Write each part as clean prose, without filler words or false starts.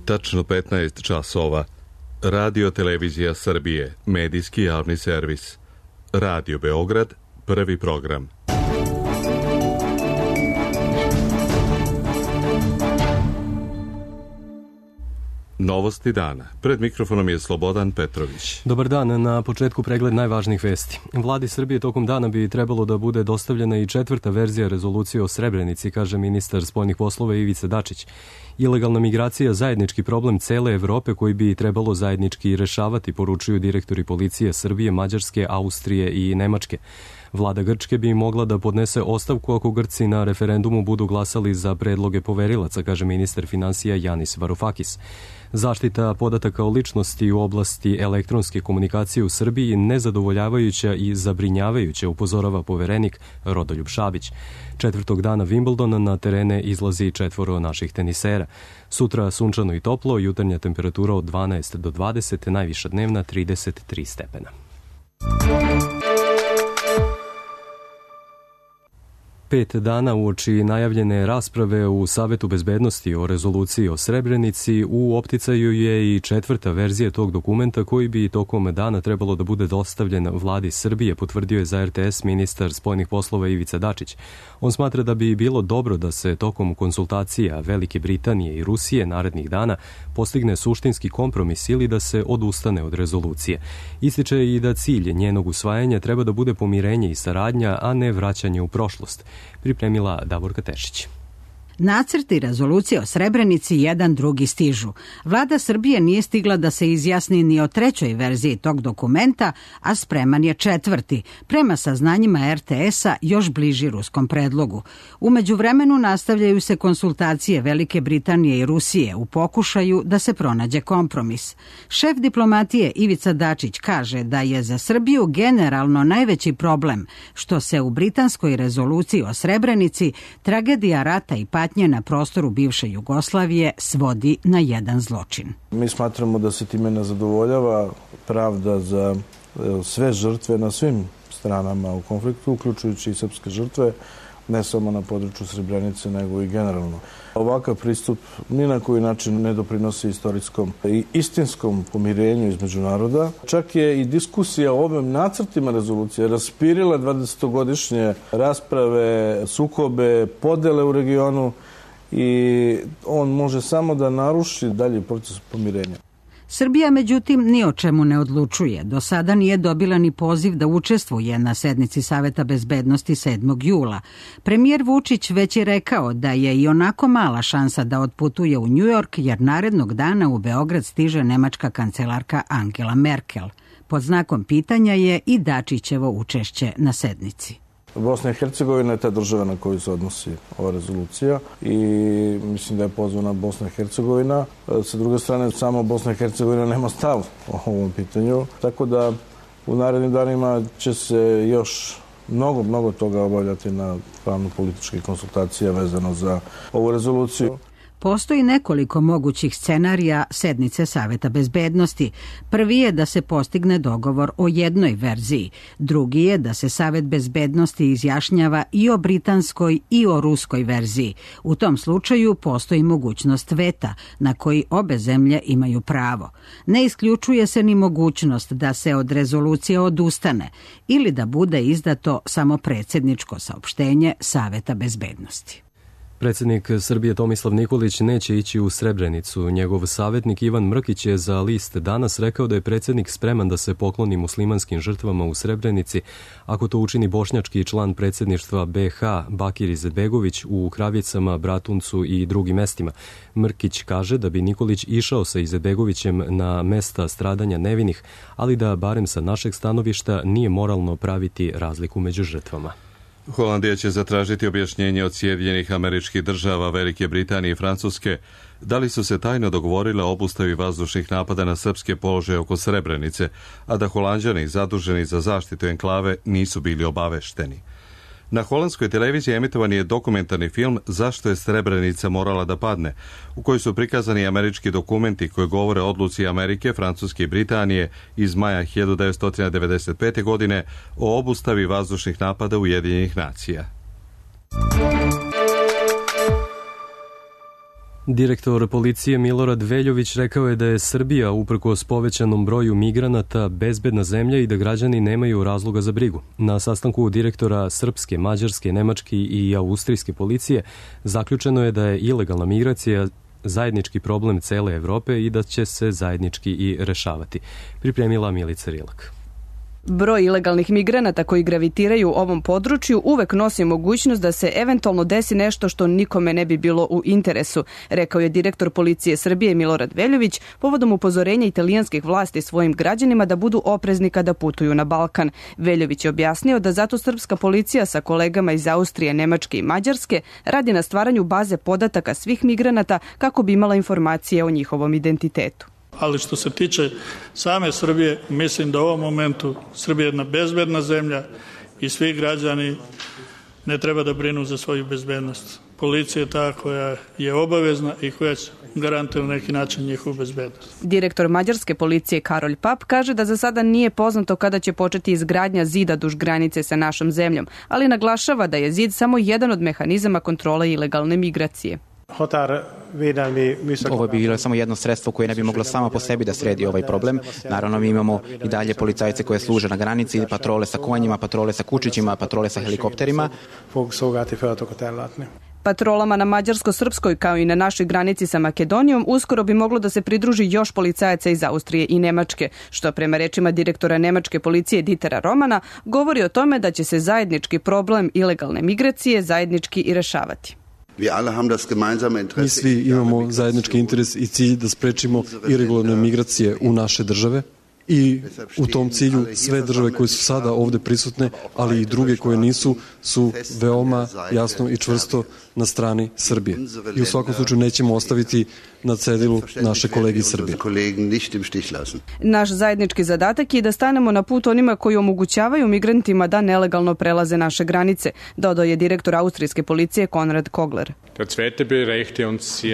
Tačno 15 časova. Radio Televizija Srbije, medijski javni servis. Radio Beograd, prvi program. Novosti dana. Pred mikrofonom je Slobodan Petrović. Dobar dan. Na početku pregled najvažnijih vesti. Vladi Srbije tokom dana bi trebalo da bude dostavljena i 4. verzija rezolucije o Srebrenici, kaže ministar spoljnih poslova Ivica Dačić. Ilegalna migracija zajednički problem cele Evrope koji bi trebalo zajednički rešavati, poručuju direktori policije Srbije, Mađarske, Austrije i Nemačke. Vlada Grčke bi mogla da podnese ostavku ako Grci na referendumu budu glasali za predloge poverilaca, kaže ministar finansija Janis Varoufakis. Zaštita podataka o ličnosti u oblasti elektronske komunikacije u Srbiji nezadovoljavajuća i zabrinjavajuća, upozorava poverenik Rodoljub Šabić. 4. dana Wimbledona na terene izlazi 4 naših tenisera. Sutra sunčano i toplo, jutarnja temperatura od 12 do 20, najviša dnevna 33 stepena. Pet dana uoči najavljene rasprave u Savetu bezbednosti o rezoluciji o Srebrenici, u opticaju je i 4. verzija tog dokumenta koji bi tokom dana trebalo da bude dostavljen vladi Srbije, potvrdio je za RTS ministar spoljnih poslova Ivica Dačić. On smatra da bi bilo dobro da se tokom konsultacija Velike Britanije i Rusije narednih dana postigne suštinski kompromis ili da se odustane od rezolucije. Ističe i da cilj njenog usvajanja treba da bude pomirenje i saradnja, a ne vraćanje u prošlost. Pripremila Davorka Tešić. Nacrti rezolucije o Srebrenici jedan drugi stižu. Vlada Srbije nije stigla da se izjasni ni o 3. verziji tog dokumenta, a spreman je 4. prema saznanjima RTS-a još bliži ruskom predlogu. U međuvremenu nastavljaju se konsultacije Velike Britanije i Rusije u pokušaju da se pronađe kompromis. Šef diplomatije Ivica Dačić kaže da je za Srbiju generalno najveći problem što se u britanskoj rezoluciji o Srebrenici tragedija rata i patnje na prostoru bivše Jugoslavije svodi na jedan zločin. Mi smatramo da se time ne zadovoljava pravda za sve žrtve na svim stranama u konfliktu, uključujući i srpske žrtve, ne samo na području Srebrenice, nego i generalno. Ovakav pristup ni na koji način ne doprinosi istorijskom i istinskom pomirenju između naroda. Čak je i diskusija o ovim nacrtima rezolucije raspirila 20-godišnje rasprave, sukobe, podele u regionu i on može samo da naruši dalji proces pomirenja. Srbija, međutim, ni o čemu ne odlučuje. Do sada nije dobila ni poziv da učestvuje na sednici Saveta bezbednosti 7. jula. Premijer Vučić već je rekao da je i onako mala šansa da otputuje u Njujork, jer narednog dana u Beograd stiže nemačka kancelarka Angela Merkel. Pod znakom pitanja je i Dačićevo učešće na sednici. Bosna i Hercegovina je ta država na koju se odnosi ova rezolucija i mislim da je pozvana Bosna i Hercegovina. Sa druge strane, samo Bosna i Hercegovina nema stav o ovom pitanju, tako da u narednim danima će se još mnogo toga obavljati na pravno-političkih konsultacija vezano za ovu rezoluciju. Postoji nekoliko mogućih scenarija sednice Saveta bezbednosti. Prvi je da se postigne dogovor o jednoj verziji. Drugi je da se Savet bezbednosti izjašnjava i o britanskoj i o ruskoj verziji. U tom slučaju postoji mogućnost veta na koji obe zemlje imaju pravo. Ne isključuje se ni mogućnost da se od rezolucije odustane ili da bude izdato samo predsjedničko saopštenje Saveta bezbednosti. Predsjednik Srbije Tomislav Nikolić neće ići u Srebrenicu. Njegov savjetnik Ivan Mrkić je za list Danas rekao da je predsjednik spreman da se pokloni muslimanskim žrtvama u Srebrenici ako to učini bošnjački član predsjedništva BH Bakir Izetbegović u Kravicama, Bratuncu i drugim mestima. Mrkić kaže da bi Nikolić išao sa Izetbegovićem na mesta stradanja nevinih, ali da barem sa našeg stanovišta nije moralno praviti razliku među žrtvama. Holandija će zatražiti objašnjenje od Sjedinjenih Američkih Država, Velike Britanije i Francuske da li su se tajno dogovorile o obustavi vazdušnih napada na srpske položaje oko Srebrenice, a da Holanđani zaduženi za zaštitu enklave nisu bili obavešteni. Na holandskoj televiziji emitovan je dokumentarni film Zašto je Srebrenica morala da padne, u kojoj su prikazani američki dokumenti koji govore o odluci Amerike, Francuske i Britanije iz maja 1995. godine o obustavi vazdušnih napada Ujedinjenih nacija. Direktor policije Milorad Veljović rekao je da je Srbija, uprkos povećanom broju migranata, bezbedna zemlja i da građani nemaju razloga za brigu. Na sastanku direktora srpske, mađarske, nemačke i austrijske policije zaključeno je da je ilegalna migracija zajednički problem cele Evrope i da će se zajednički i rešavati. Pripremila Milica Rilak. Broj ilegalnih migranata koji gravitiraju u ovom području uvek nosi mogućnost da se eventualno desi nešto što nikome ne bi bilo u interesu, rekao je direktor policije Srbije Milorad Veljović povodom upozorenja italijanskih vlasti svojim građanima da budu oprezni kada putuju na Balkan. Veljović je objasnio da zato srpska policija sa kolegama iz Austrije, Nemačke i Mađarske radi na stvaranju baze podataka svih migranata kako bi imala informacije o njihovom identitetu. Ali što se tiče same Srbije, mislim da u ovom momentu Srbija je jedna bezbedna zemlja i svi građani ne treba da brinu za svoju bezbednost. Policija je ta koja je obavezna i koja garantuje na neki način njihovu bezbednost. Direktor mađarske policije Karolj Pap kaže da za sada nije poznato kada će početi izgradnja zida duž granice sa našom zemljom, ali naglašava da je zid samo jedan od mehanizama kontrole ilegalne migracije. Ovo bi bilo samo jedno sredstvo koje ne bi moglo samo po sebi da sredi ovaj problem. Naravno, mi imamo i dalje policajce koje služe na granici, patrole sa konjima, patrole sa kučićima, patrole sa helikopterima. Patrolama na mađarsko-srpskoj kao i na našoj granici sa Makedonijom uskoro bi moglo da se pridruži još policajaca iz Austrije i Nemačke, što prema rečima direktora nemačke policije Ditera Romana govori o tome da će se zajednički problem ilegalne migracije zajednički i rešavati. Mi svi imamo zajednički interes i cilj da sprečimo iregularne migracije u naše države i u tom cilju sve države koje su sada ovde prisutne, ali i druge koje nisu, su veoma jasno i čvrsto na strani Srbije. I u svakom slučaju nećemo ostaviti na cedilu naše kolege iz Srbije. Naš zajednički zadatak je da stanemo na put onima koji omogućavaju migrantima da nelegalno prelaze naše granice, dodao je direktor austrijske policije Konrad Kogler.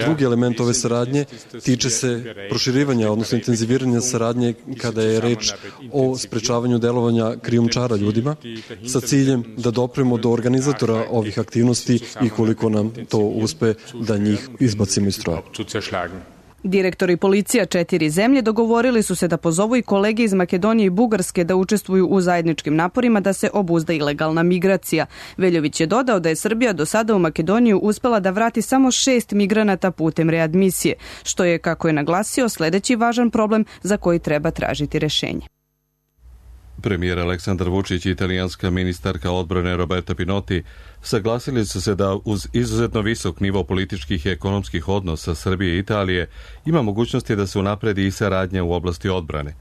Drugi element ove saradnje tiče se proširivanja, odnosno intenziviranja saradnje kada je reč o sprečavanju delovanja krijumčara ljudima sa ciljem da dopremo do organizatora ovih aktivnosti i koliko nam to uspe da njih izbacimo iz stroja. Direktori policija 4 zemlje dogovorili su se da pozovu i kolege iz Makedonije i Bugarske da učestvuju u zajedničkim naporima da se obuzda ilegalna migracija. Veljović je dodao da je Srbija do sada u Makedoniju uspela da vrati samo 6 migranata putem readmisije, što je, kako je naglasio, sledeći važan problem za koji treba tražiti rešenje. Premijer Aleksandar Vučić i italijanska ministarka odbrane Roberta Pinotti saglasili su se da uz izuzetno visok nivo političkih i ekonomskih odnosa Srbije i Italije ima mogućnosti da se unapredi i saradnja u oblasti odbrane.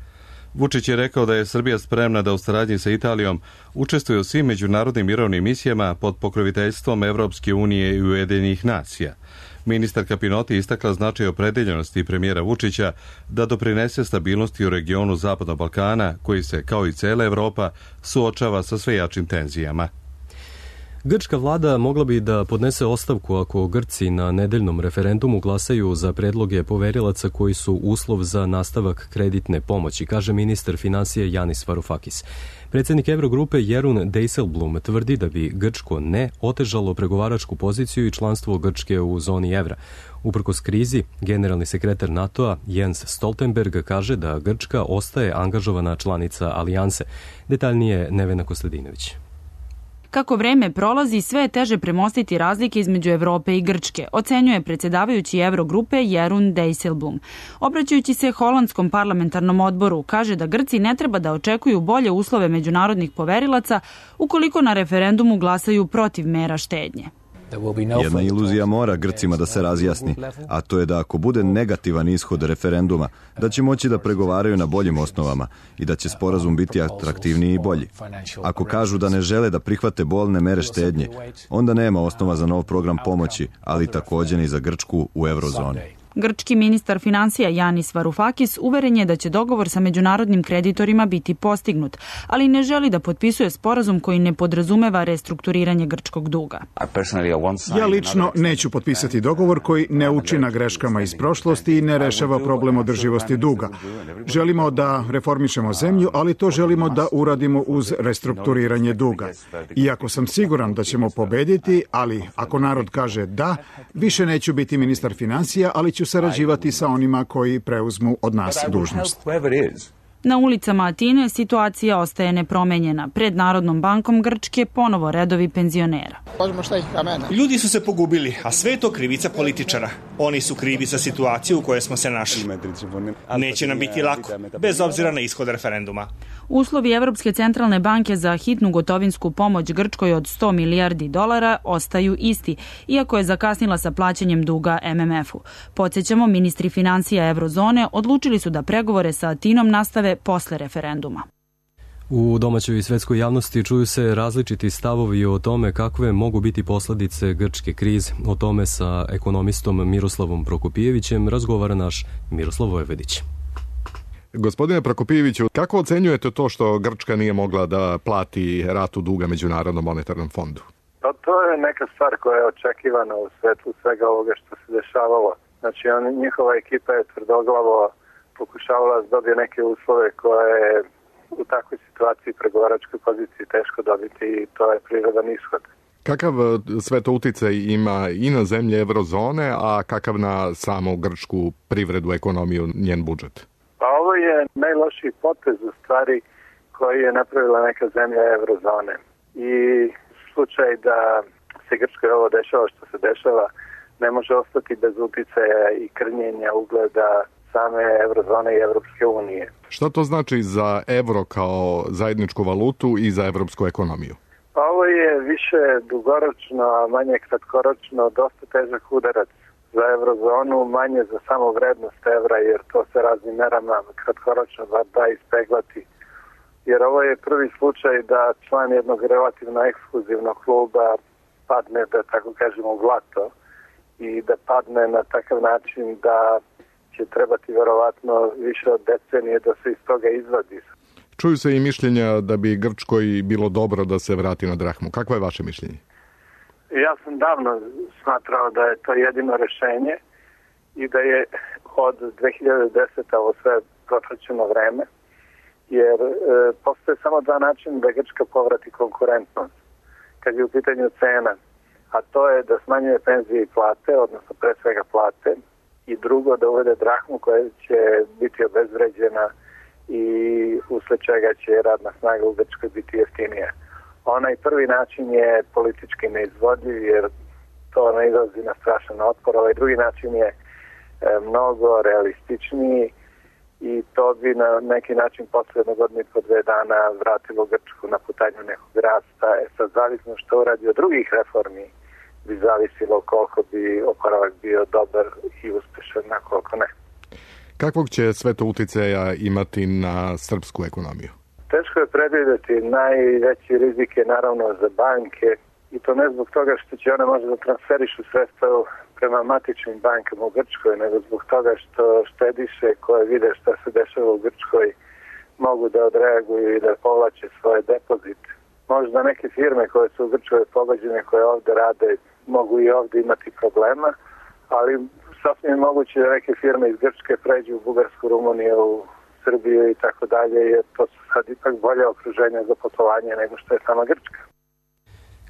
Vučić je rekao da je Srbija spremna da u saradnji sa Italijom učestvuje u svim međunarodnim mirovnim misijama pod pokroviteljstvom Evropske unije i Ujedinjenih nacija. Ministarka Pinotti istakla značaj opredeljenosti premijera Vučića da doprinese stabilnosti u regionu Zapadnog Balkana, koji se, kao i cela Evropa, suočava sa sve jačim tenzijama. Grčka vlada mogla bi da podnese ostavku ako Grci na nedeljnom referendumu glasaju za predloge poverilaca koji su uslov za nastavak kreditne pomoći, kaže ministar finansija Janis Varoufakis. Predsjednik Evrogrupe Jeroen Dijsselbloem tvrdi da bi Grčko ne otežalo pregovaračku poziciju i članstvo Grčke u zoni evra. Uprkos krizi, generalni sekretar NATO-a Jens Stoltenberg kaže da Grčka ostaje angažovana članica alijanse. Detaljnije Nevena Kostadinović. Kako vreme prolazi, sve je teže premostiti razlike između Evrope i Grčke, ocenjuje predsjedavajući Evrogrupe Jeroen Dijsselbloem. Obraćajući se holandskom parlamentarnom odboru, kaže da Grci ne treba da očekuju bolje uslove međunarodnih poverilaca ukoliko na referendumu glasaju protiv mera štednje. Jedna iluzija mora Grcima da se razjasni, a to je da ako bude negativan ishod referenduma, da će moći da pregovaraju na boljim osnovama i da će sporazum biti atraktivniji i bolji. Ako kažu da ne žele da prihvate bolne mere štednje, onda nema osnova za nov program pomoći, ali također ni za Grčku u eurozoni. Grčki ministar finansija Yanis Varoufakis uveren je da će dogovor sa međunarodnim kreditorima biti postignut, ali ne želi da potpisuje sporazum koji ne podrazumeva restrukturiranje grčkog duga. Ja lično neću potpisati dogovor koji ne uči na greškama iz prošlosti i ne rešava problem održivosti duga. Želimo da reformišemo zemlju, ali to želimo da uradimo uz restrukturiranje duga. Iako sam siguran da ćemo pobediti, ali ako narod kaže da, više neću biti ministar finansija, ali ću sarađivati sa onima koji preuzmu od nas dužnost. Na ulicama Atine situacija ostaje nepromenjena. Pred Narodnom bankom Grčke ponovo redovi penzionera. Ljudi su se pogubili, a sve je to krivica političara. Oni su krivi za situaciju u kojoj smo se našli. Neće nam biti lako, bez obzira na ishod referenduma. Uslovi Evropske centralne banke za hitnu gotovinsku pomoć Grčkoj od $100 milijardi ostaju isti, iako je zakasnila sa plaćanjem duga MMF-u. Podsjećamo, ministri financija Eurozone odlučili su da pregovore sa Atinom nastave posle referenduma. U domaćoj i svetskoj javnosti čuju se različiti stavovi o tome kakve mogu biti posledice grčke krize. O tome sa ekonomistom Miroslavom Prokopijevićem razgovara naš Miroslav Vojvodić. Gospodine Prokopijeviću, kako ocenjujete to što Grčka nije mogla da plati ratu duga Međunarodnom monetarnom fondu? Pa to je neka stvar koja je očekivana u svetlu svega ovoga što se dešavalo. Znači, njihova ekipa je tvrdoglavo pokušavala da dobije neke uslove koje je u takvoj situaciji pregovaračkoj poziciji teško dobiti i to je prirodan ishod. Kakav sve to uticaj ima i na zemlje Eurozone, a kakav na samu grčku privredu, ekonomiju, njen budžet? Pa ovo je najlošiji potez u stvari koji je napravila neka zemlja Eurozone. I slučaj da se Grčkoj ovo dešava što se dešava ne može ostati bez uticaja i krnjenja ugleda same Eurozone i Evropske unije. Šta to znači za evro kao zajedničku valutu i za evropsku ekonomiju? Pa ovo je više dugoročno, a manje kratkoročno, dosta težak udarac za Eurozonu, manje za samo vrednost evra, jer to se raznim merama kratkoročno da ispeglati. Jer ovo je prvi slučaj da član jednog relativno ekskluzivnog kluba padne, da tako kažemo, u blato i da padne na takav način da će trebati verovatno više od decenije da se iz toga izvadi. Čuju se i mišljenja da bi Grčkoj bilo dobro da se vrati na drahmu. Kakvo je vaše mišljenje? Ja sam davno smatrao da je to jedino rešenje i da je od 2010. ovo sve protraćeno vreme, jer postoje samo dva načina da Grčka povrati konkurentnost kad je u pitanju cena, a to je da smanjuje penzije i plate, odnosno pre svega plate, i drugo da uvede drahmu koja će biti obezvređena i usled čega će radna snaga u Grčkoj biti jeftinija. Onaj prvi način je politički neizvodljiv jer to ne izlazi na strašan otpor. Ovaj drugi način je mnogo realističniji i to bi na neki način posle jednog godina i po 2 dana vratilo Grčku na putanju nekog rasta. Sad zavisno što uradi od drugih reformi bi zavisilo koliko bi oporavak bio dobar i uspešan, na koliko ne. Kakvog će sve to uticaja imati na srpsku ekonomiju? Teško je predvideti. Najveći rizik je naravno za banke i to ne zbog toga što će one možda da transferišu sredstva prema matičnim bankama u Grčkoj, nego zbog toga što štediše koje vide šta se dešava u Grčkoj mogu da odreaguju i da povlače svoje depozite. Možda neke firme koje su u Grčkoj pogođene, koje ovde rade, mogu i ovde imati problema, ali sasvim moguće da neke firme iz Grčke pređu u Bugarsku, Rumuniju, u Srbiju i tako dalje, jer to su sad ipak bolje okruženja za poslovanje nego što je sama Grčka.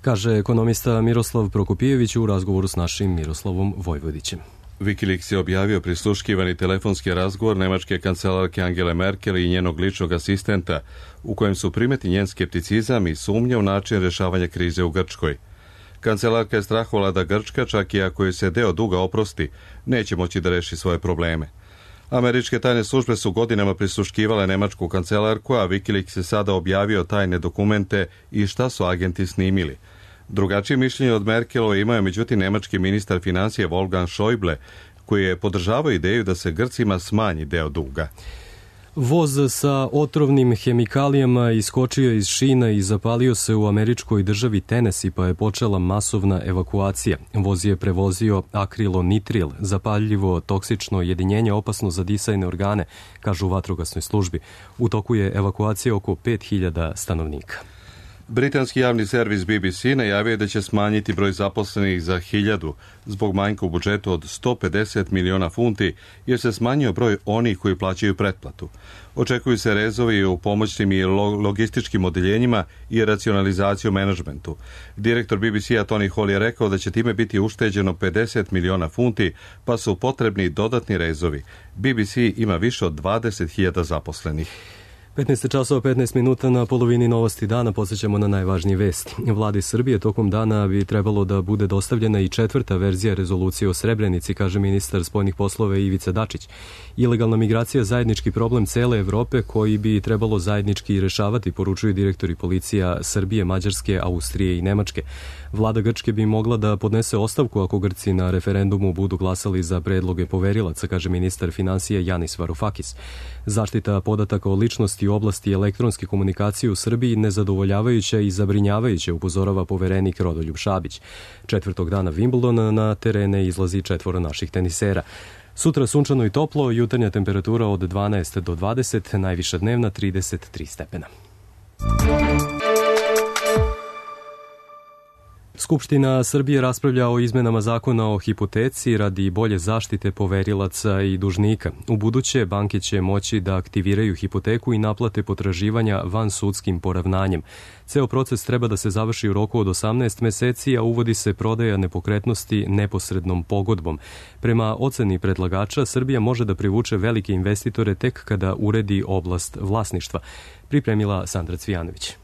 Kaže ekonomista Miroslav Prokopijević u razgovoru s našim Miroslavom Vojvodićem. Wikileaks je objavio prisluškivani telefonski razgovor nemačke kancelarke Angele Merkel i njenog ličnog asistenta, u kojem su primeti njen skepticizam i sumnje u način rješavanja krize u Grčkoj. Kancelarka je strahovala da Grčka, čak i ako joj se deo duga oprosti, neće moći da reši svoje probleme. Američke tajne službe su godinama prisluškivale nemačku kancelarku, a Wikileaks je sada objavio tajne dokumente i šta su agenti snimili. Drugačije mišljenje od Merkelove imao je međutim nemački ministar financije Wolfgang Schäuble, koji je podržavao ideju da se Grcima smanji deo duga. Voz sa otrovnim hemikalijama iskočio iz šina i zapalio se u američkoj državi Tennessee, pa je počela masovna evakuacija. Voz je prevozio akrilonitril, zapaljivo toksično jedinjenje opasno za disajne organe, kažu u vatrogasnoj službi. U toku je evakuacija oko 5000 stanovnika. Britanski javni servis BBC najavio je da će smanjiti broj zaposlenih za 1000 zbog manjka u budžetu od 150 miliona funti, jer se smanjio broj onih koji plaćaju pretplatu. Očekuju se rezovi u pomoćnim i logističkim odeljenjima i racionalizaciju menadžmentu. Direktor BBC-a Tony Hall je rekao da će time biti ušteđeno 50 miliona funti, pa su potrebni dodatni rezovi. BBC ima više od 20.000 zaposlenih. 15 časova 15 minuta na polovini novosti dana posjećamo na najvažnije vesti. Vladi Srbije tokom dana bi trebalo da bude dostavljena i 4. verzija rezolucije o Srebrenici, kaže ministar spoljnih poslova Ivica Dačić. Ilegalna migracija zajednički problem cele Evrope koji bi trebalo zajednički rešavati, poručuju direktori policija Srbije, Mađarske, Austrije i Nemačke. Vlada Grčke bi mogla da podnese ostavku ako Grci na referendumu budu glasali za predloge poverilaca, kaže ministar finansija Janis Varoufakis. Zaštita podataka o ličnosti u oblasti elektronske komunikacije u Srbiji nezadovoljavajuća i zabrinjavajuća, upozorava poverenik Rodoljub Šabić. 4. dana Wimbledona na terene izlazi 4 naših tenisera. Sutra sunčano i toplo, jutarnja temperatura od 12 do 20, najviša dnevna 33 stepena. Skupština Srbije raspravlja o izmenama zakona o hipoteci radi bolje zaštite poverilaca i dužnika. U buduće banke će moći da aktiviraju hipoteku i naplate potraživanja vansudskim poravnanjem. Ceo proces treba da se završi u roku od 18 meseci, a uvodi se prodaja nepokretnosti neposrednom pogodbom. Prema oceni predlagača, Srbija može da privuče velike investitore tek kada uredi oblast vlasništva. Pripremila Sandra Cvijanović.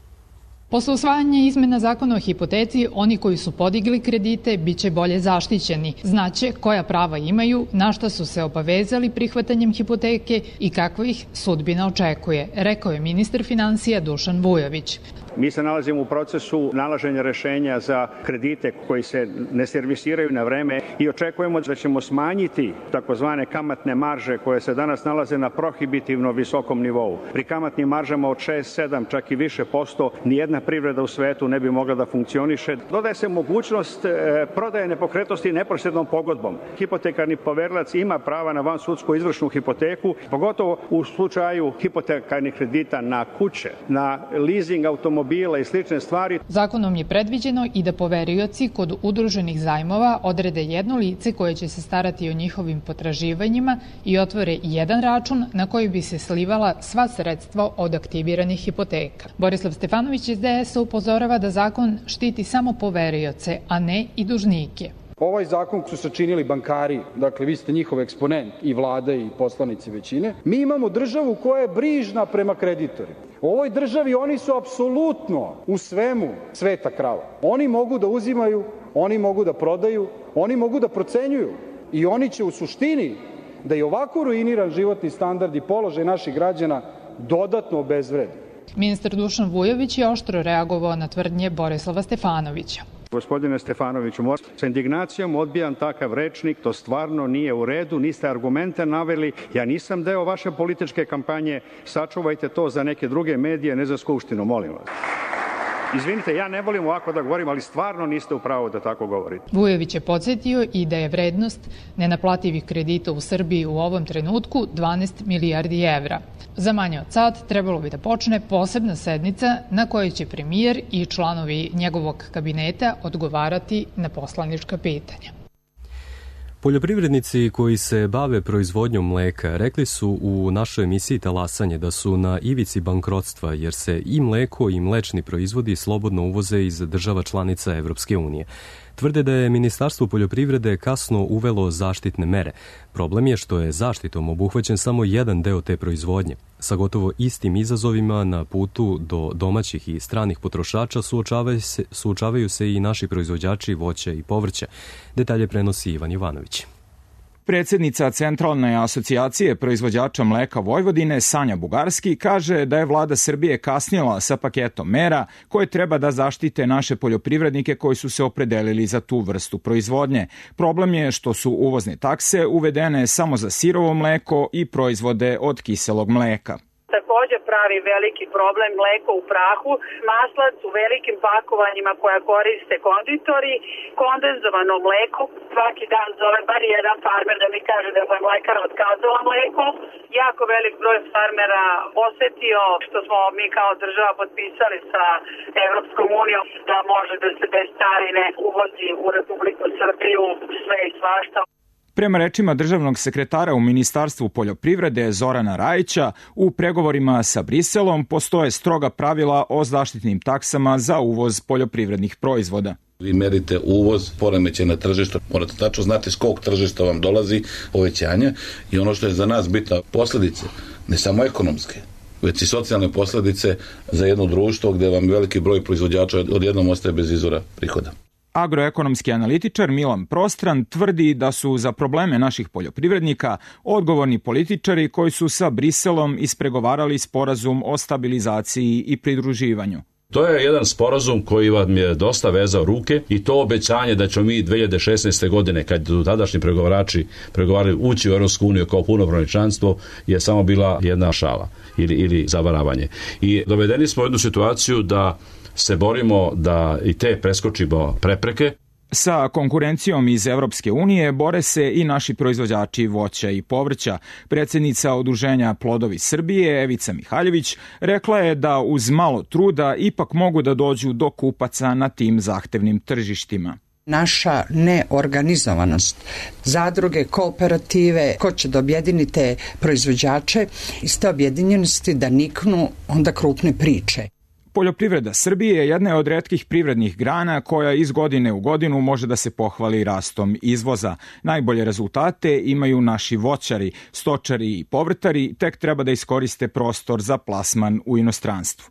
Posle usvajanja izmena zakona o hipoteci, oni koji su podigli kredite biće bolje zaštićeni. Znaće koja prava imaju, na šta su se obavezali prihvatanjem hipoteke i kakva ih sudbina očekuje, rekao je ministar finansija Dušan Vujović. Mi se nalazimo u procesu nalaženja rešenja za kredite koji se ne servisiraju na vreme i očekujemo da ćemo smanjiti takozvane kamatne marže koje se danas nalaze na prohibitivno visokom nivou. Pri kamatnim maržama od 6, 7, čak i više posto, nijedna privreda u svetu ne bi mogla da funkcioniše. Dodaje se mogućnost prodaje nepokretnosti neposrednom pogodbom. Hipotekarni poverilac ima prava na vansudsku izvršnu hipoteku, pogotovo u slučaju hipotekarnih kredita na kuće, na leasing automobila i slične stvari. Zakonom je predviđeno i da poverioci kod udruženih zajmova odrede jedno lice koje će se starati o njihovim potraživanjima i otvore jedan račun na koji bi se slivala sva sredstva od aktiviranih hipoteka. Borislav Stefanović iz DS upozorava da zakon štiti samo poverioce, a ne i dužnike. Ovaj zakon su sačinili bankari, dakle vi ste njihov eksponent i vlada i poslanici većine. Mi imamo državu koja je brižna prema kreditorima. U ovoj državi oni su apsolutno u svemu sveta krava. Oni mogu da uzimaju, oni mogu da prodaju, oni mogu da procenjuju i oni će u suštini da i ovako ruiniran životni standard i položaj naših građana dodatno obezvredi. Ministar Dušan Vujović je oštro reagovao na tvrdnje Borislava Stefanovića. Gospodine Stefanoviću, sa indignacijom odbijam takav rečnik, to stvarno nije u redu, niste argumente naveli, ja nisam deo vaše političke kampanje, sačuvajte to za neke druge medije, ne za Skupštinu, molim vas. Izvinite, ja ne volim ovako da govorim, ali stvarno niste u pravu da tako govorite. Vujović je podsjetio i da je vrednost nenaplativih kredita u Srbiji u ovom trenutku 12 milijardi evra. Za manje od sat trebalo bi da počne posebna sednica na kojoj će premijer i članovi njegovog kabineta odgovarati na poslanička pitanja. Poljoprivrednici koji se bave proizvodnjom mleka rekli su u našoj emisiji Talasanje da su na ivici bankrotstva jer se i mleko i mlečni proizvodi slobodno uvoze iz država članica Evropske unije. Tvrde da je Ministarstvo poljoprivrede kasno uvelo zaštitne mere. Problem je što je zaštitom obuhvaćen samo jedan deo te proizvodnje. Sa gotovo istim izazovima na putu do domaćih i stranih potrošača suočavaju se i naši proizvođači voća i povrća. Detalje prenosi Ivan Jovanović. Predsjednica Centralne asocijacije proizvođača mleka Vojvodine, Sanja Bugarski, kaže da je vlada Srbije kasnila sa paketom mera koje treba da zaštite naše poljoprivrednike koji su se opredelili za tu vrstu proizvodnje. Problem je što su uvozne takse uvedene samo za sirovo mleko i proizvode od kiselog mleka. takođe pravi veliki problem, mleko u prahu, maslac u velikim pakovanjima koja koriste konditori, kondenzovano mleko. Svaki dan zove bar jedan farmer da mi kaže da je mlekara otkazala mleko. Jako velik broj farmera osetio što smo mi kao država potpisali sa Evropskom unijom da može da se bez carine uvozi u Republiku Srbiju sve i svašta. Prema rečima državnog sekretara u Ministarstvu poljoprivrede Zorana Rajića, u pregovorima sa Briselom postoje stroga pravila o zaštitnim taksama za uvoz poljoprivrednih proizvoda. Vi merite uvoz, poremećaj na tržištu, morate tačno znati s kog tržišta vam dolazi povećanje i ono što je za nas bitno, posledice, ne samo ekonomske, već i socijalne posledice za jedno društvo gde vam veliki broj proizvođača odjednom ostaje bez izvora prihoda. Agroekonomski analitičar Milan Prostran tvrdi da su za probleme naših poljoprivrednika odgovorni političari koji su sa Briselom ispregovarali sporazum o stabilizaciji i pridruživanju. To je jedan sporazum koji vam je dosta vezao ruke i to obećanje da ćemo mi 2016. godine, kad su tadašnji pregovarali ući u Europsku uniju kao punopravno članstvo, je samo bila jedna šala ili zavaravanje. I dovedeni smo u jednu situaciju da se borimo da i te preskočimo prepreke. Sa konkurencijom iz Evropske unije bore se i naši proizvođači voća i povrća. Predsjednica Udruženja Plodovi Srbije, Evica Mihaljević, rekla je da uz malo truda ipak mogu da dođu do kupaca na tim zahtevnim tržištima. Naša neorganizovanost, zadruge, kooperative, ko će da objedini te proizvođače, iz te objedinjenosti da niknu onda krupne priče. Poljoprivreda Srbije jedna je od retkih privrednih grana koja iz godine u godinu može da se pohvali rastom izvoza. Najbolje rezultate imaju naši voćari, stočari i povrtari, tek treba da iskoriste prostor za plasman u inostranstvu.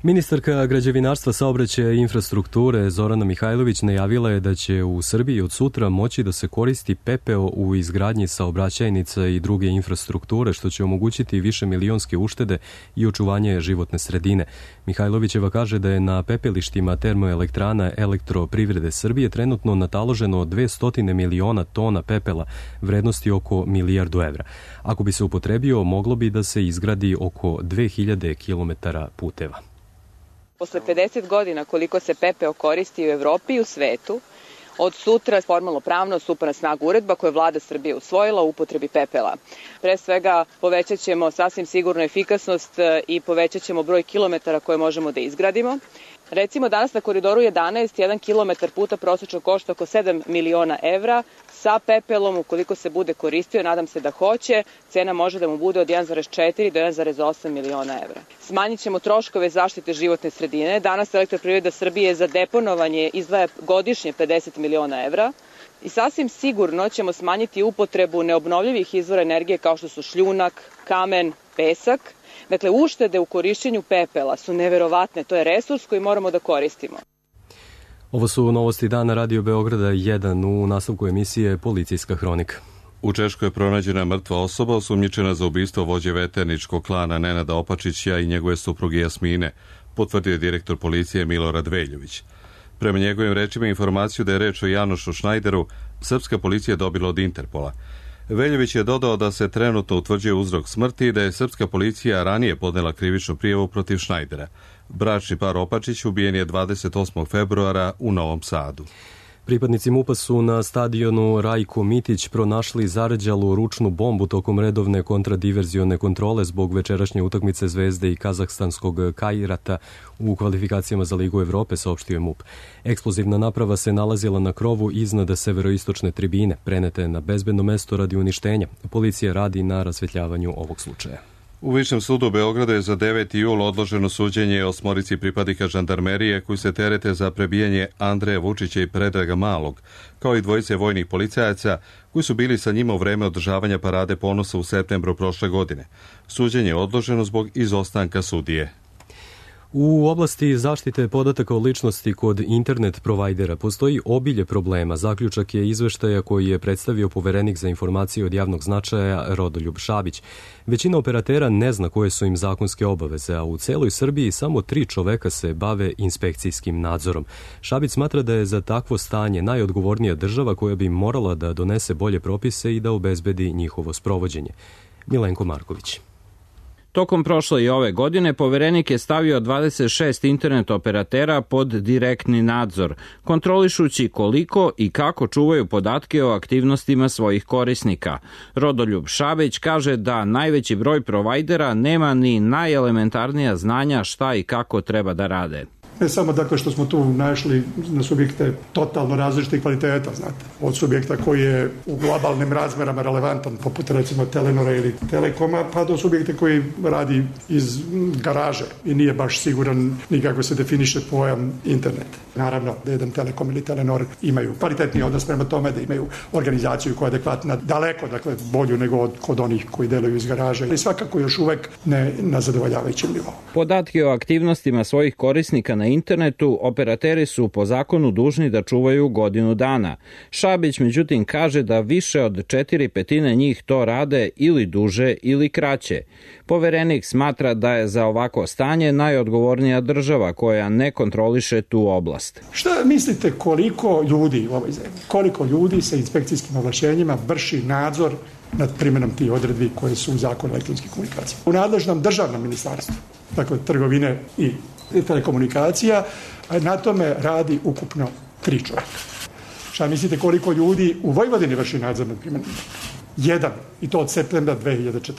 Ministarka građevinarstva, saobraćaja i infrastrukture Zorana Mihajlović najavila je da će u Srbiji od sutra moći da se koristi pepeo u izgradnji saobraćajnica i druge infrastrukture, što će omogućiti višemilionske uštede i očuvanje životne sredine. Mihajlovićeva kaže da je na pepelištima termoelektrana Elektroprivrede Srbije trenutno nataloženo 200 miliona tona pepela vrednosti oko 1 milijardu evra. Ako bi se upotrebio, moglo bi da se izgradi oko 2000 kilometara puteva. Posle 50 godina koliko se pepeo koristi u Evropi i u svetu, od sutra formalno pravno stupa na snagu uredba koju je vlada Srbije usvojila u upotrebi pepela. Pre svega povećat ćemo sasvim sigurno efikasnost i povećat ćemo broj kilometara koje možemo da izgradimo. Recimo danas na koridoru 11, 1 kilometar puta prosečno košta oko 7 miliona evra. Sa pepelom, ukoliko se bude koristio, nadam se da hoće, cena može da mu bude od 1,4 do 1,8 miliona evra. Smanjit ćemo troškove zaštite životne sredine. Danas Elektroprivreda Srbije za deponovanje izdvaja godišnje 50 miliona evra. I sasvim sigurno ćemo smanjiti upotrebu neobnovljivih izvora energije kao što su šljunak, kamen, pesak. Dakle, uštede u korišćenju pepela su neverovatne. To je resurs koji moramo da koristimo. Ovo su novosti dana Radio Beograda 1 u nastavku emisije Policijska hronika. U Češkoj je pronađena mrtva osoba osumnjičena za ubistvo vođe veterničkog klana Nenada Opačića i njegove supruge Jasmine, potvrdio je direktor policije Milorad Veljović. Prema njegovim rečima informaciju da je reč o Janošu Šnajderu, srpska policija dobila od Interpola. Veljović je dodao da se trenutno utvrđuje uzrok smrti i da je srpska policija ranije podnela krivičnu prijavu protiv Šnajdera. Bračni par Opačić ubijen je 28. februara u Novom Sadu. Pripadnici MUP-a su na stadionu Rajko Mitić pronašli zarđalu ručnu bombu tokom redovne kontradiverzione kontrole zbog večerašnje utakmice Zvezde i kazahstanskog Kajrata u kvalifikacijama za Ligu Evrope, saopštio je MUP. Eksplozivna naprava se nalazila na krovu iznad severoistočne tribine, prenete na bezbedno mesto radi uništenja. Policija radi na rasvetljavanju ovog slučaja. U Višem sudu Beograda je za 9. jul odloženo suđenje 8 pripadnika žandarmerije koji se terete za prebijanje Andreja Vučića i Predraga Malog, kao i 2 vojnih policajaca koji su bili sa njima u vreme održavanja parade ponosa u septembru prošle godine. Suđenje je odloženo zbog izostanka sudije. U oblasti zaštite podataka o ličnosti kod internet provajdera postoji obilje problema. Zaključak je izveštaja koji je predstavio poverenik za informacije od javnog značaja Rodoljub Šabić. Većina operatera ne zna koje su im zakonske obaveze, a u celoj Srbiji samo 3 čoveka se bave inspekcijskim nadzorom. Šabić smatra da je za takvo stanje najodgovornija država koja bi morala da donese bolje propise i da obezbedi njihovo sprovođenje. Milenko Marković. Tokom prošle i ove godine poverenik je stavio 26 internet operatera pod direktni nadzor, kontrolišući koliko i kako čuvaju podatke o aktivnostima svojih korisnika. Rodoljub Šabić kaže da najveći broj provajdera nema ni najelementarnija znanja šta i kako treba da rade. Ne samo dakle što smo tu našli na subjekte totalno različitih kvaliteta, znate, od subjekta koji je u globalnim razmerama relevantan, poput recimo Telenora ili Telekoma, pa do subjekta koji radi iz garaže i nije baš siguran ni kako se definiše pojam internet. Naravno da jedan Telekom ili Telenor imaju kvalitetni odnos prema tome, da imaju organizaciju koja je adekvatna, daleko, dakle, bolju nego kod onih koji deluju iz garaže, ali svakako još uvek ne na zadovoljavajućem nivou. Podatke o aktivnostima svojih korisnika na internetu operateri su po zakonu dužni da čuvaju godinu dana. Šabić međutim kaže da više od 4/5 njih to rade ili duže ili kraće. Poverenik smatra da je za ovako stanje najodgovornija država koja ne kontroliše tu oblast. Šta mislite koliko ljudi u ovoj zemlji, koliko ljudi sa inspekcijskim ovlašćenjima vrši nadzor nad primjenom tih odredbi koje su u zakonu o elektronskim komunikacijama? U nadležnom državnom ministarstvu, dakle trgovine i telekomunikacija, na tome radi ukupno 3 čovjeka. Šta mislite koliko ljudi u Vojvodini vrši nadzor nad primjenom? 1, i to od septembra 2014.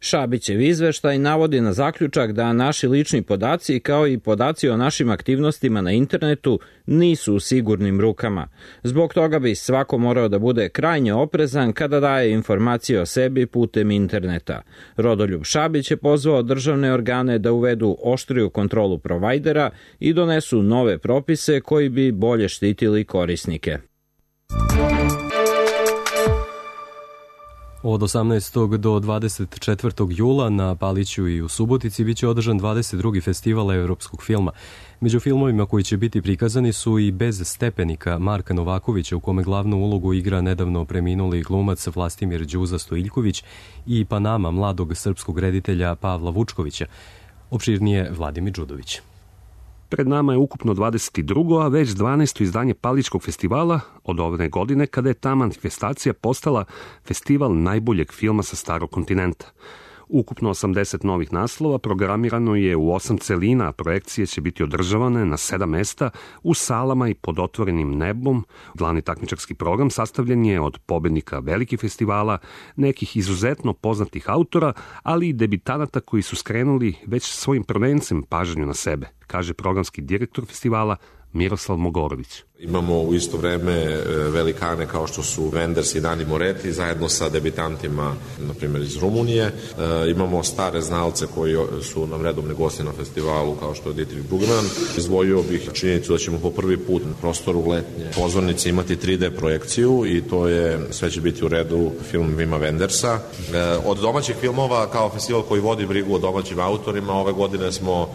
Šabićev izveštaj navodi na zaključak da naši lični podaci kao i podaci o našim aktivnostima na internetu nisu u sigurnim rukama. Zbog toga bi svako morao da bude krajnje oprezan kada daje informacije o sebi putem interneta. Rodoljub Šabić je pozvao državne organe da uvedu oštriju kontrolu provajdera i donesu nove propise koji bi bolje štitili korisnike. Od 18. do 24. jula na Paliću i u Subotici biće održan 22. festival evropskog filma. Među filmovima koji će biti prikazani su i Bez stepenika Marka Novakovića, u kome glavnu ulogu igra nedavno preminuli glumac Vlastimir Đuza Stojiljković, i Panama mladog srpskog reditelja Pavla Vučkovića. Opširnije Vladimir Đudović. Pred nama je ukupno 22. a već 12. izdanje Palićkog festivala od ove godine, kada je ta manifestacija postala festival najboljeg filma sa starog kontinenta. Ukupno 80 novih naslova programirano je u 8 celina, a projekcije će biti održavane na 7 mesta u salama i pod otvorenim nebom. Glavni takmičarski program sastavljen je od pobednika velikih festivala, nekih izuzetno poznatih autora, ali i debitanata koji su skrenuli već svojim prvencem pažnju na sebe, kaže programski direktor festivala Miroslav Mogorović. Imamo u isto vreme velikane kao što su Wenders i Dani Moretti zajedno sa debitantima, na primjer iz Rumunije. Imamo stare znalce koji su nam redovni gosti na festivalu kao što je Dietrich Brugman. Izdvojio bih činjenicu da ćemo po prvi put na prostoru letnje pozornice imati 3D projekciju i to je, sve će biti u redu, film Vima Wendersa. Od domaćih filmova, kao festival koji vodi brigu o domaćim autorima, ove godine smo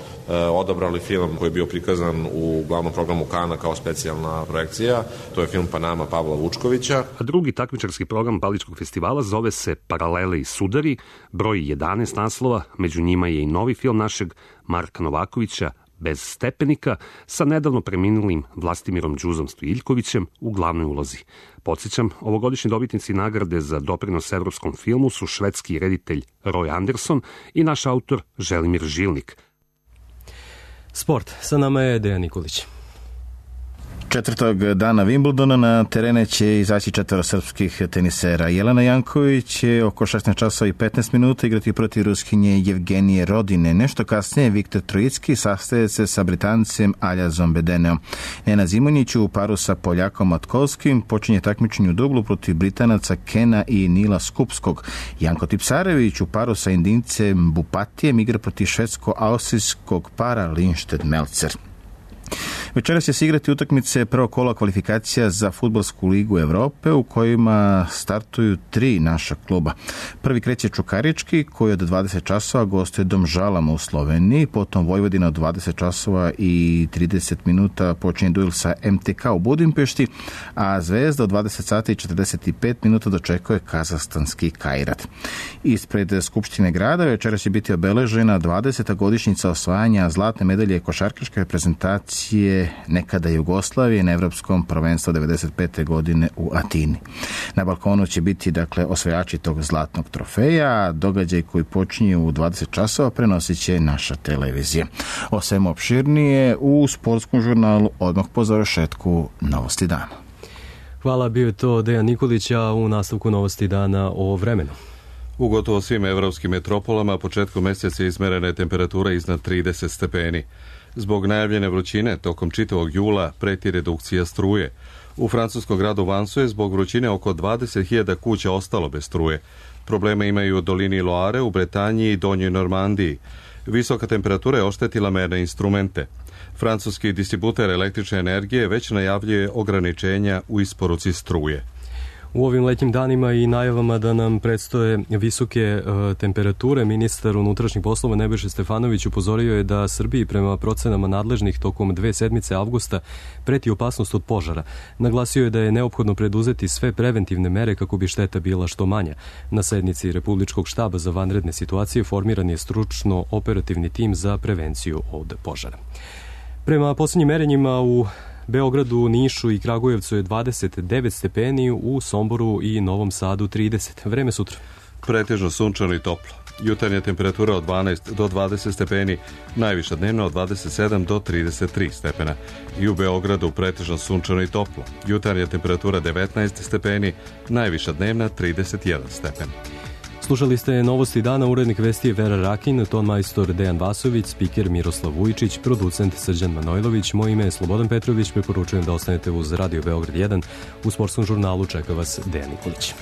odabrali film koji je bio prikazan u glavnom programu Kana kao specijalna projekcija. To je film Panama Pavla Vučkovića. A drugi takmičarski program Palićkog festivala zove se Paralele i sudari, broji 11 naslova, među njima je i novi film našeg Marka Novakovića Bez stepenika sa nedavno preminulim Vlastimirom Đuzom Stojiljkovićem u glavnoj ulozi. Podsjećam, ovogodišnji dobitnici nagrade za doprinos evropskom filmu su švedski reditelj Roy Anderson i naš autor Želimir Žilnik. Sport. Sa nama je Dejan Nikolić. 4. dana Wimbledona na terene će izaći 4 srpskih tenisera. Jelena Janković će oko 16 časova i 15 minuta igrati protiv Ruskinje Jevgenije Rodine. Nešto kasnije Viktor Trojicki sastaje se sa Britancem Aljazom Bedeneom. Nena Zimonjić u paru sa Poljakom Matkovskim počinje takmičenje u dublu protiv Britanaca Kena i Nila Skupskog. Janko Tipsarević u paru sa Indincem Bupatijem igra protiv švedsko-austrijskog para Lindstedt Melzer. Večeras će se igrati utakmice prvog kola kvalifikacija za Fudbalsku ligu Evrope u kojima startuju 3 naša kluba. Prvi kreće Čukarički koji od 20 časova gostuje Domžalama u Sloveniji, potom Vojvodina od 20 časova i 30 minuta počinje duel sa MTK u Budimpešti, a Zvezda od 20 sati i 45 minuta dočekuje kazahstanski Kairat. Ispred Skupštine grada večeras će biti obeležena 20. godišnjica osvajanja zlatne medalje košarkaške reprezentacije selekcije nekada Jugoslavije na Evropskom prvenstvu 1995. godine u Atini. Na balkonu će biti osvajači tog zlatnog trofeja. Događaj koji počinje u 20 časova prenosit će naša televizija. O svemu opširnije u sportskom žurnalu odmah po završetku Novosti dana. Hvala, bio je to Dejan Nikolić, a u nastavku Novosti dana o vremenu. U gotovo svim evropskim metropolama početkom mjeseca izmerena je temperatura iznad 30 stepeni. Zbog najavljene vrućine tokom čitavog jula preti redukcija struje. U francuskom gradu Vansu je zbog vrućine oko 20.000 kuća ostalo bez struje. Probleme imaju u dolini Loare, u Bretanji i Donjoj Normandiji. Visoka temperatura je oštetila merne instrumente. Francuski distributer električne energije već najavljuje ograničenja u isporuci struje. U ovim letnjim danima i najavama da nam predstoje visoke temperature, ministar unutrašnjih poslova Nebojša Stefanović upozorio je da Srbiji prema procenama nadležnih tokom 2 sedmice avgusta preti opasnost od požara. Naglasio je da je neophodno preduzeti sve preventivne mere kako bi šteta bila što manja. Na sednici Republičkog štaba za vanredne situacije formiran je stručno operativni tim za prevenciju od požara. Prema posljednjim merenjima u Beogradu, Nišu i Kragujevcu je 29 stepeni, u Somboru i Novom Sadu 30. Vreme sutra. Pretežno sunčano i toplo. Jutarnja temperatura od 12 do 20 stepeni, najviša dnevna od 27 do 33 stepena. I u Beogradu pretežno sunčano i toplo. Jutarnja temperatura 19 stepeni, najviša dnevna 31 stepen. Slušali ste Novosti dana, urednik vesti je Vera Rakin, ton majstor Dejan Vasović, spiker Miroslav Vujičić, producent Srđan Manojlović, moje ime je Slobodan Petrović, preporučujem da ostanete uz Radio Beograd 1, u sportskom žurnalu čeka vas Dejan Nikolić.